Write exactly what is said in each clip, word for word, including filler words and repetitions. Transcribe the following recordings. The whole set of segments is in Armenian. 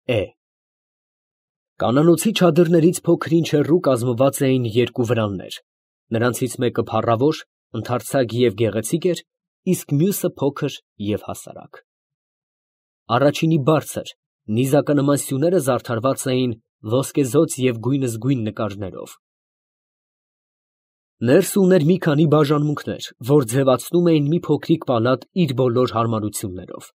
Է Կանանոցի չադրներից փոքր-ինչ հեռու կազմված էին երկու վրաններ, նրանցից մեկը փառավոր, ընդարձակ և գեղեցիկ էր, իսկ մյուսը փոքր և հասարակ. առաջինի բարձր, նիզականման սյուները զարդարված էին ոսկեզօծ և գույնզգույն նկարներով. ներսը ուներ մի քանի բաժանմունքներ, որ ձևացնում էին մի փոքրիկ պալատ իր բոլոր հարմարություններով.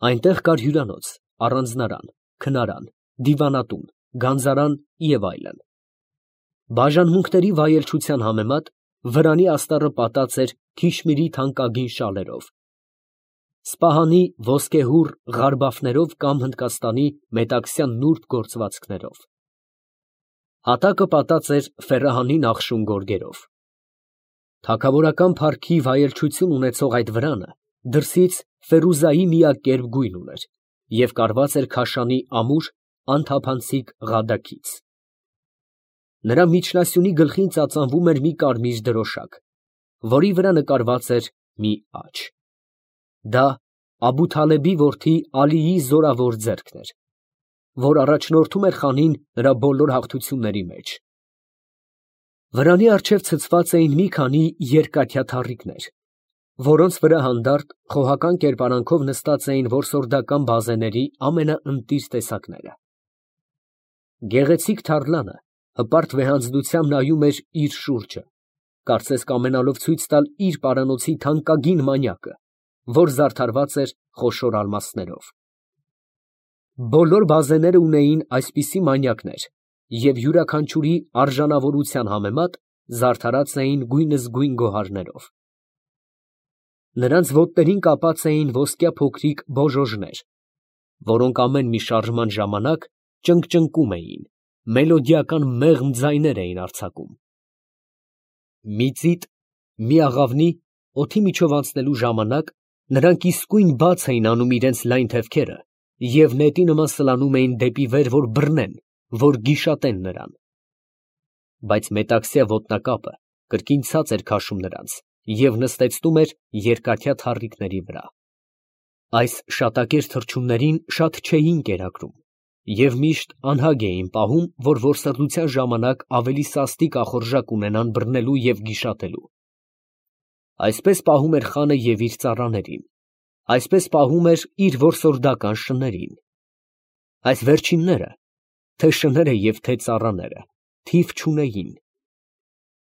այնտեղ կար հյուրանոց, առանձնարան, քնարան, դիվանատուն, գանձարան և այլն. բաժանմունքների վայելչության համեմատ վրանի աստառը պատած էր քիշմիրի թանկագին շալերով, սպահանի ոսկեհուռ ղարբաֆներով կամ Հնդկաստանի մետաքսյա նուրբ գործվածքներով, հատակը պատած էր ֆեռահանի նախշուն գորգերով. թագավորական փառքի վայելչություն ունեցող այդ վրանը դրսից ֆերուզայի միակերպ գույն ուներ և կարված էր քաշանի ամուր, անթափանցիկ ղադակից. նրա միջնասյունի գլխին ծածանվում էր մի կարմիր դրոշակ, որի վրա նկարված էր մի աջ. դա Աբութալեբի որդի Ալիի զորավոր ձեռքն էր, որ առաջնորդում էր խանին նրա բոլոր հաղթությունների մեջ. վրանի առջև ցցված էին մի քանի երկաթյա թառիկներ, որոնց վրա հանդարտ, խոհական կերպարանքով նստած էին որսորդական բազեների ամենաընտիր տեսակները. գեղեցիկ թառլանը հպարտ վեհանձնությամբ նայում էր իր շուրջը, կարծես կամենալով ցույց տալ իր պարանոցի թանկագին մանյակը, որ զարդարված էր խոշոր ալմասներով. բոլոր բազեները ունեին այսպիսի մանյակներ և յուրաքանչյուրի արժանավորության համեմատ զարդարած էին գույնզգույն գոհարներով. նրանց ոտներին կապած էին ոսկյա փոքրիկ բոժոժներ, որոնք ամեն մի շարժման ժամանակ ճնգճնկում էին, մելոդիական մեղմ ձայներ էին արձակում. մի ծիտ, մի աղավնի, օդի միջով անցնելու ժամանակ նրանք իսկույն բաց էին անում իրենց լայն թևքերը և նետի նման սլանում էին դեպի վեր, որ բռնեն, որ գիշատեն նրան. բայց մետաքսյա ոտնակապը կրկին ցած էր քաշում նրանց և նստեցնում էր երկաթյա թառիկների վրա. այս շատակեր թռչուններին շատ չէին կերակրում և միշտ անհագ էին պահում, որ որսորդության ժամանակ ավելի սաստիկ ախորժակ ունենան բռնելու և գիշատելու. այսպես պահում էր խանը և իր ծառաներին, այսպես պահում էր իր որսորդական շներին. այս վերջինները, թե շները և թե ծառաները, թիվ չունեին.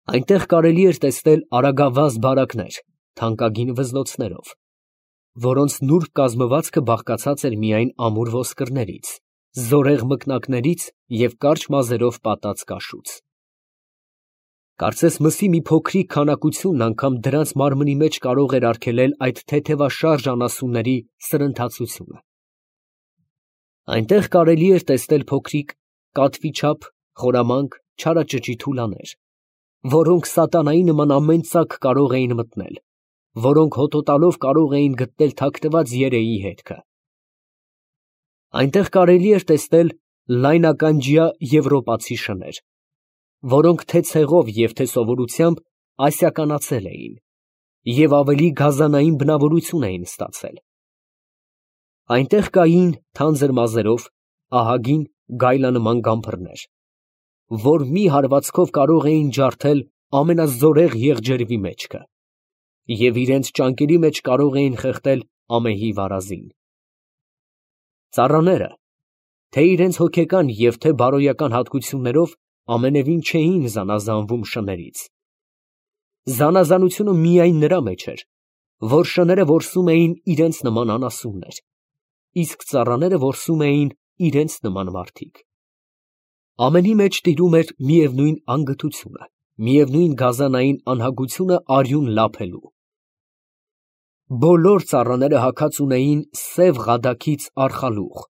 այնտեղ կարելի էր տեսնել արագավազ բարակներ թանկագին վզնոցներով, որոնց նուրբ կազմվածքը բաղկացած էր միայն ամուր ոսկրներից, զորեղ մկնակներից և կարճ մազերով պատած կաշուց. կարծես մսի մի փոքրիկ քանակությունն անգամ դրանց մարմնի մեջ կարող էր արգելել այդ թեթևաշարժ անասունների սրընթացությունը. այնտեղ կարելի էր տեսնել փոքրիկ, կատվի չափ, խորամանկ, չարաճճի թուլաներ, որոնք սատանայի նման ամեն ծակ կարող էին մտնել, որոնք հոտոտալով կարող էին գտնել թաքնված երեի հետքը. այնտեղ կարելի էր տեսնել լայնականջյա եվրոպացի շներ, որոնք թե ցեղով և թե սովորությամբ ասիականացել էին և ավելի գազանային բնավորություն էին ստացել. այնտեղ կային թանձր մազերով, ահագին գայլանման գամբրներ, որ մի հարվածքով կարող էին ջարդել ամենազորեղ եղջերվի մեջքը և իրենց ճանկերի մեջ կարող էին խեղդել ամեհի վարազին. ծառաները, թե իրենց հոգեկան և թե բարոյական հատկություններով, ամենևին չէին զանազանվում շներից. զանազանությունը միայն նրա մեջ էր, որ շները որսում էին իրենց նման անասուններ, իսկ ծառաները որսում էին իրենց նման մարդիկ. ամենի մեջ տիրում էր միևնույն անգթությունը, միևնույն գազանային անհագությունը արյուն լափելու. բոլոր ծառաները հագած ունեին սև ղադակից արխալուղ,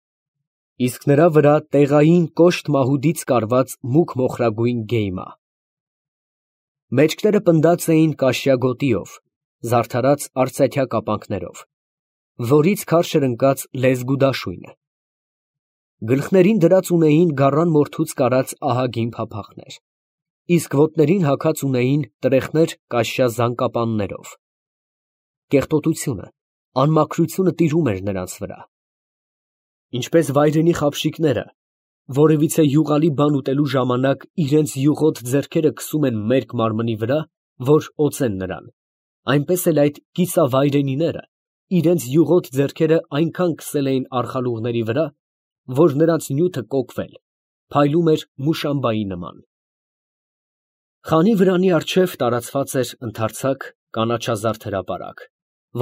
իսկ նրա վրա տեղային կոշտ մահուդից կարված մուգ մոխրագույն գեյմա. մեջքները պնդած էին կաշյա գոտիով, զարդարած արծաթյա կապանքներով, որից քարշ էր ընկած լեզգու դաշույնը. գլխներին դրած ունեին գառան մորթուց կարած ահագին փափախներ, իսկ ոտներին հագած ունեին տրեխներ կաշյա զանգապաններով. կեղտոտությունը, անմաքրությունը տիրում էր նրանց վրա. Ինչպես վայրենի խաբշիկները որևիցե յուղալի բան ուտելու ժամանակ իրենց յուղոտ ձեռքերը քսում են մերկ մարմնի վրա, որ օծեն նրան, այնպես էլ այդ կիսավայրենիները իրենց յուղոտ ձեռքերը այնքան քսել էին արխալուղների վրա, որ նրանց նյութը կոկվել, փայլում էր մուշամբայի նման։ Խանի վրանի առջև տարածված էր ընդարձակ կանաչազարդ հրապարակ,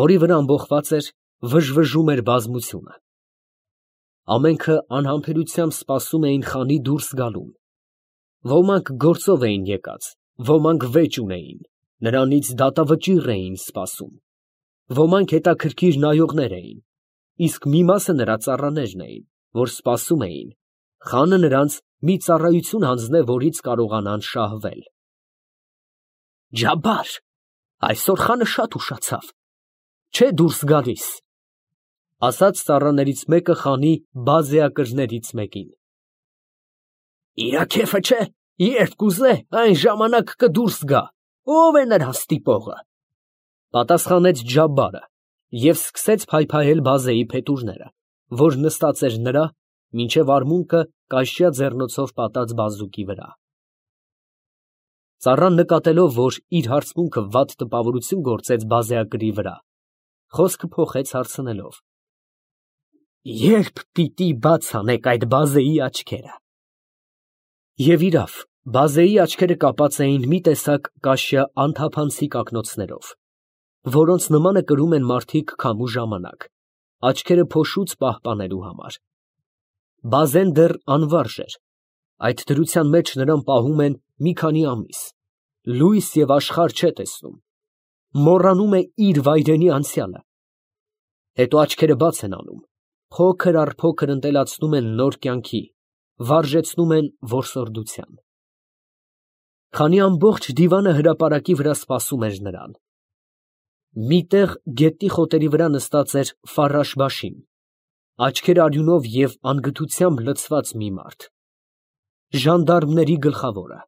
որի վրա ամբոխված էր, վժվժում էր բազմությունը։ Ամենքը անհամբերությամբ սպասում էին խանի դուրս գալուն։ Ոմանք գործով էին եկած, ոմանք վեճ ունեին, նրանից դատավճիռ էին սպասում։ Ոմանք հետաքրքիր նայողներ էին, իսկ մի մասը նրա ծառաներն էին, որ սպասում էին, խանը նրանց մի ծառայություն հանձնե, որից կարողանան շահվել։ Ջաբար, այսօր խանը շատ ուշացավ, չէ դուրս գալիս, ասաց ծառաներից մեկը խանի բազեակրներից մեկին։ Իրա քեֆը չէ, երբ կուզե, այն ժամանակ կդուրս գա, ով է նրան ստիպողը, պատասխանեց Ջաբարը և սկսեց փայփայել բազեի փետուրները, որ նստած էր նրա, մինչև արմունկը կաշյա ձեռնոցով պատած բազուկի վրա։ Ծառան նկատելով, որ իր հարցմունքը վատ տպավորություն գործեց բազեակրի վրա, խոսքը փոխեց հարցնելով. Երբ պիտի բաց անեք այդ բազեի աչքերը։ Եվ իրավ, բազեի աչքերը կապած էին մի տեսակ կաշյա անթափանցիկ ակնոցներով, որոնց նմանը կրում են մարդիկ քամու ժամանակ, աչքերը փոշուց պահպանելու համար։ Բազեն դեռ անվարժ էր, այդ դրության մեջ նրան պահում են մի քանի ամիս, լույս և աշխարհ չէ տեսնում, մոռանում է իր վայրենի անցյալը։ Հետո աչքերը բաց են անում, փոքր առ փոքր ընտելացնում են նոր կյանքի, վարժեցնում են որսորդության։ Քանի ամբողջ դիվանը հրապարակի վրա սպասում էր նրան։ Միտեղ գետնի խոտերի վրա նստած էր Ֆարաշ֊բաշին, աչքերը արյունով և անգթությամբ լցված մի մարդ, ժանդարմների գլխավորը։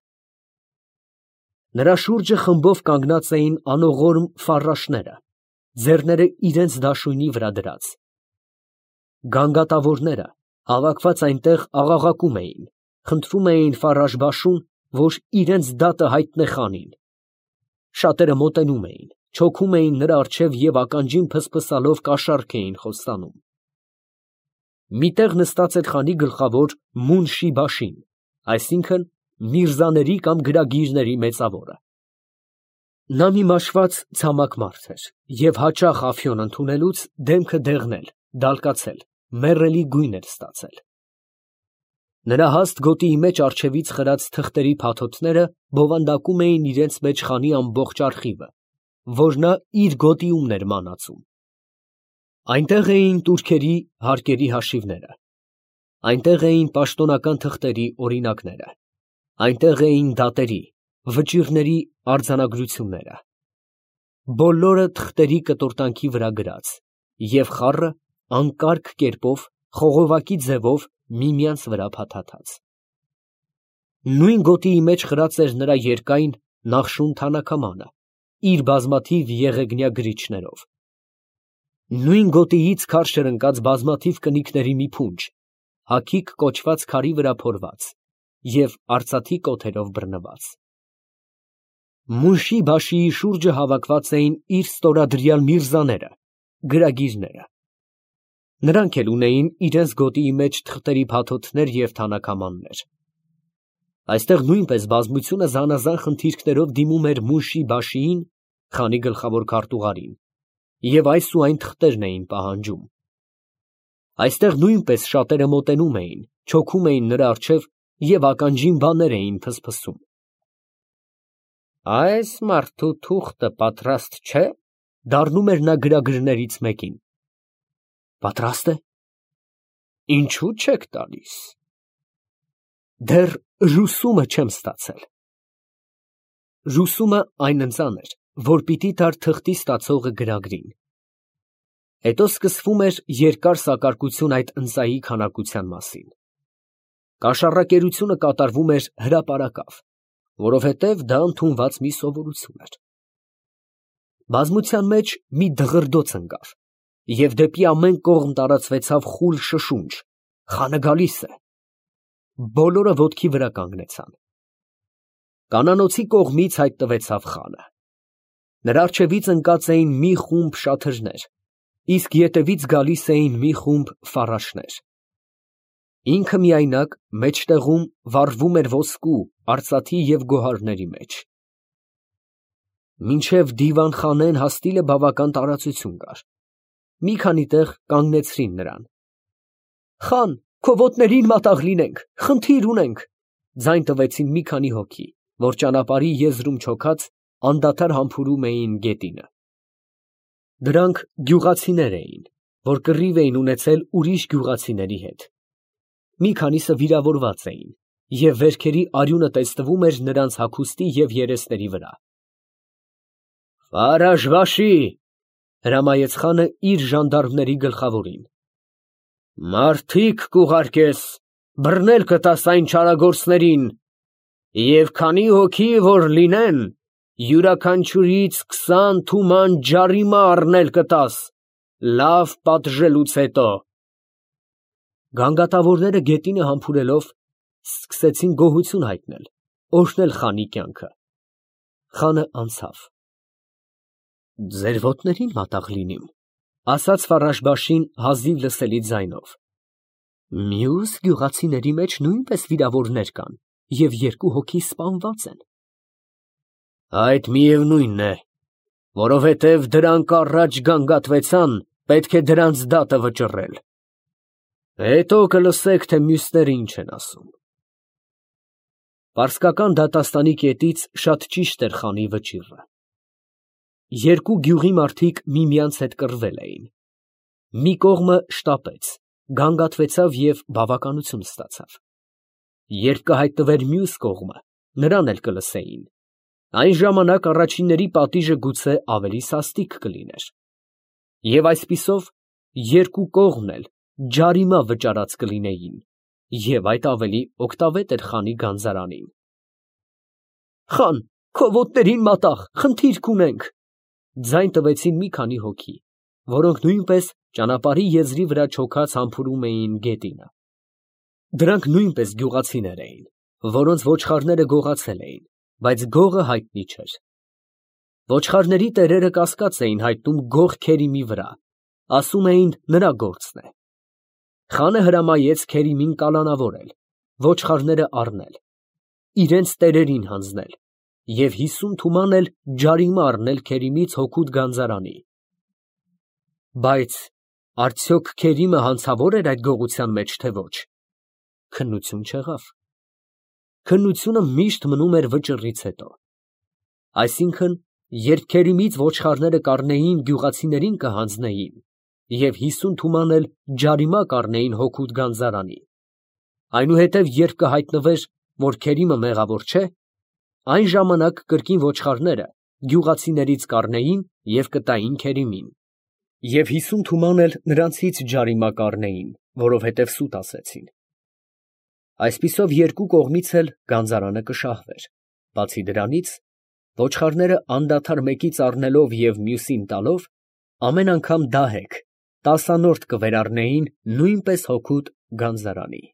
Նրա շուրջը խմբով կանգնած էին անողորմ ֆարաշները, ձեռները իրենց դաշույնի վրա դրած։ Գանգատավորները հավաքված այնտեղ աղաղակում էին, խնդրում էին Ֆարաշ֊բաշուն, որ իրենց դատը հայտնե խանին։ Շատերը մոտենում էին, չոքում էին նրա առջև և ականջին փսփսալով կաշառք էին խոստանում։ Միտեղ նստած էր խանի գլխավոր Մունշի֊բաշին, այսինքն միրզաների կամ գրագիրների մեծավորը։ Նա մի մաշված ցամաք մարդ էր և հաճախ ափիոն ընդունելուց դեմքը դեղնել, դալկացել, մեռելի գույն էր ստացել։ Նրա հաստ գոտիի մեջ առջևից խրած թղթերի փաթոթները բովանդակում էին իրենց մեջ խանի ամբողջ արխիվը, որ նա իր գոտիումն էր մանածում։ Այնտեղ էին տուրքերի հարկերի հաշիվները, այնտեղ էին պաշտոնական թղթերի օրինակները, այնտեղ էին դատերի, վճիռների արձանագրությունները, բոլորը թղթերի կտորտանքի վրա գրած, և խառը անկարգ կերպով, խողովակի ձևով միմյանց վրա փաթաթած։ Նույն գոտիի մեջ խրած էր նրա երկայն Նախշուն թանաքամանը, իր բազմաթիվ եղեգնյա գրիչներով։ Նույն գոտիից քարշ էր ընկած բազմաթիվ կնիկների մի փունջ, հագիկ կոչված քարի վրա փորված և արծաթի կոթերով բռնված։ Մունշի֊բաշիի շուրջը հավաքված էին իր ստորադրյալ միրզաները, գրագիրները։ Նրանք էլ ունեին իրենց գոտիի մեջ թղթերի փաթոթներ և թանաքամաններ։ Այստեղ նույնպես բազմությունը զանազան խնդիրներով դիմում էր Մունշի֊բաշիին, խանի գլխավոր քարտուղարին, և այս ու այն թղթերն էին պահանջում։ Այստեղ նույնպես շատերը մոտենում էին, չոքում էին նրա առջև և ականջին բաներ էին փսփսում։ Այս մարդու թուղթը պատրաստ չէ՞, դառնում էր նա գրագրներից մեկին։ Պատրաստ է։ Ինչու չեք տալիս։ Դեռ ռուսումը չեմ ստացել։ Ռուսումը այն ընծան էր, որ պիտի տար թղթի ստացողը գրագրին։ Հետո սկսվում էր երկար սակարկություն այդ ընծայի քանակության մասին։ Կաշառակերությունը կատարվում էր հրապարակավ, որովհետև դա ընդունված մի սովորություն էր։ Բազմության մեջ մի դղրդոց ընկավ, և դեպի ամեն կողմ տարածվեցավ խուլ շշունջ, Խանը գալիս է։ Բոլորը ոտքի վրա կանգնեցան։ Կանանոցի կողմից հայտնվեցավ խանը։ Նրա առջևից ընկած էին մի խումբ շաթրներ, իսկ ետևից գալիս էին մի խումբ ֆարաշներ։ Ինքը միայնակ մեջտեղում վառվում էր ոսկու, արծաթի և գոհարների մեջ։ Մինչև դիվան֊խանեն հասնելը բավական տարածություն կար։ Մի քանի տեղ կանգնեցրին նրան։ «Խան, քո ոտներին մատաղ լինենք, խնդիր ունենք», ձայն տվեցին մի քանի հոգի, որ ճանապարհի եզրում չոքած անդադար համբուրում էին գետինը։ Դրանք գյուղացիներ էին, որ կռիվ էին ունեցել ուրիշ գյուղացիների հետ։ Մի քանիսը վիրավորված էին, և վերքերի արյունը տեսնվում էր նրանց հագուստի և երեսների վրա։ «Ֆարաշվաշի», հրամայեց խանը իր ժանդարմների գլխավորին, «մարդիկ կուղարկես, բռնել կտաս այն չարագործներին, և քանի հոգի որ լինեն, յուրաքանչյուրից քսան թուման ջարիմա առնել կտաս, լավ պատժելուց հետո»։ Գանգատավորները գետինը համբուրելով սկսեցին գոհություն հայտնել, օրհնել խանի կյանքը։ Խանը անցավ։ «Ձեր ոտներին մատաղ լինիմ», ասաց Ֆարաշբաշին հազիվ լսելի ձայնով։ «Մյուս գյուղացիների մեջ նույնպես վիրավորներ կան և երկու հոգի սպանված են»։ «Այդ միևնույնն է, որովհետև դրանք առաջ գանգատվեցան, պետք է դրանց դատը վճռել։ Հետո կլսեք, թե մյուսները ինչ են ասում»։ Պարսկական դատաստանի կետից շատ ճիշտ էր խանի վճիռը։ Երկու գյուղի մարդիկ միմյանց հետ կռվել էին։ Մի կողմը շտապեց, գանգատվեցավ և բավականություն ստացավ։ Երբ կհայտնվեր մյուս կողմը, նրան էլ կլսեին։ Այն ժամանակ առաջինների պատիժը գուցե ավելի սաստիկ կլիներ։ Եվ այսպիսով երկու կողմն էլ ջարիմա վճարած կլինեին, և այդ ավելի օգտավետ էր խանի գանձարանին։ «Խան, քո ոտներին մատաղ, խնդիր կունենք», ձայն տվեցին մի քանի հոգի, որոնք նույնպես ճանապարհի եզրի վրա չոքած համբուրում էին գետինը։ Դրանք նույնպես գյուղացիներ էին, որոնց ոչխարները գողացել էին, բայց գողը հայտնի չէր։ Ոչխարների տերերը կասկած էին հայտնում գող Քերիմի վրա, ասում էին նրա գործն է։ Խանը հրամայեց Քերիմին կալանավորել, ոչխարները առնել, իրենց տերերին հանձնել և հիսուն թուման էլ ջարիմա առնել Քերիմից հօգուտ գանձարանի։ Բայց արդյոք Քերիմը հանցավոր էր այդ գողության մեջ, թե ոչ։ Քննություն չեղավ։ Քննությունը միշտ մնում էր վճռից հետո։ Այսինքն, երբ Քերիմից ոչխարները կառնեին, գյուղացիներին կհանձնեին և հիսուն թուման էլ ջարիմա կառնեին հօգուտ գանձարանի։ Այնուհետև երբ կհայտնվեր, որ Քերիմը մեղավոր չէ, այն ժամանակ կրկին ոչխարները գյուղացիներից կառնեին և կտային Քերիմին, և հիսուն թուման էլ նրանցից ջարիմա կառնեին, որովհետև սուտ ասեցին։ Այսպիսով երկու կողմից էլ գանձարանը կշահվեր։ Բացի դրանից, ոչխարները անդադար մեկից առնելով և մյուսին տալով, ամեն անգամ դահեկ, տասանորդ կվերառնեին նույնպես հօգուտ գանձարանի։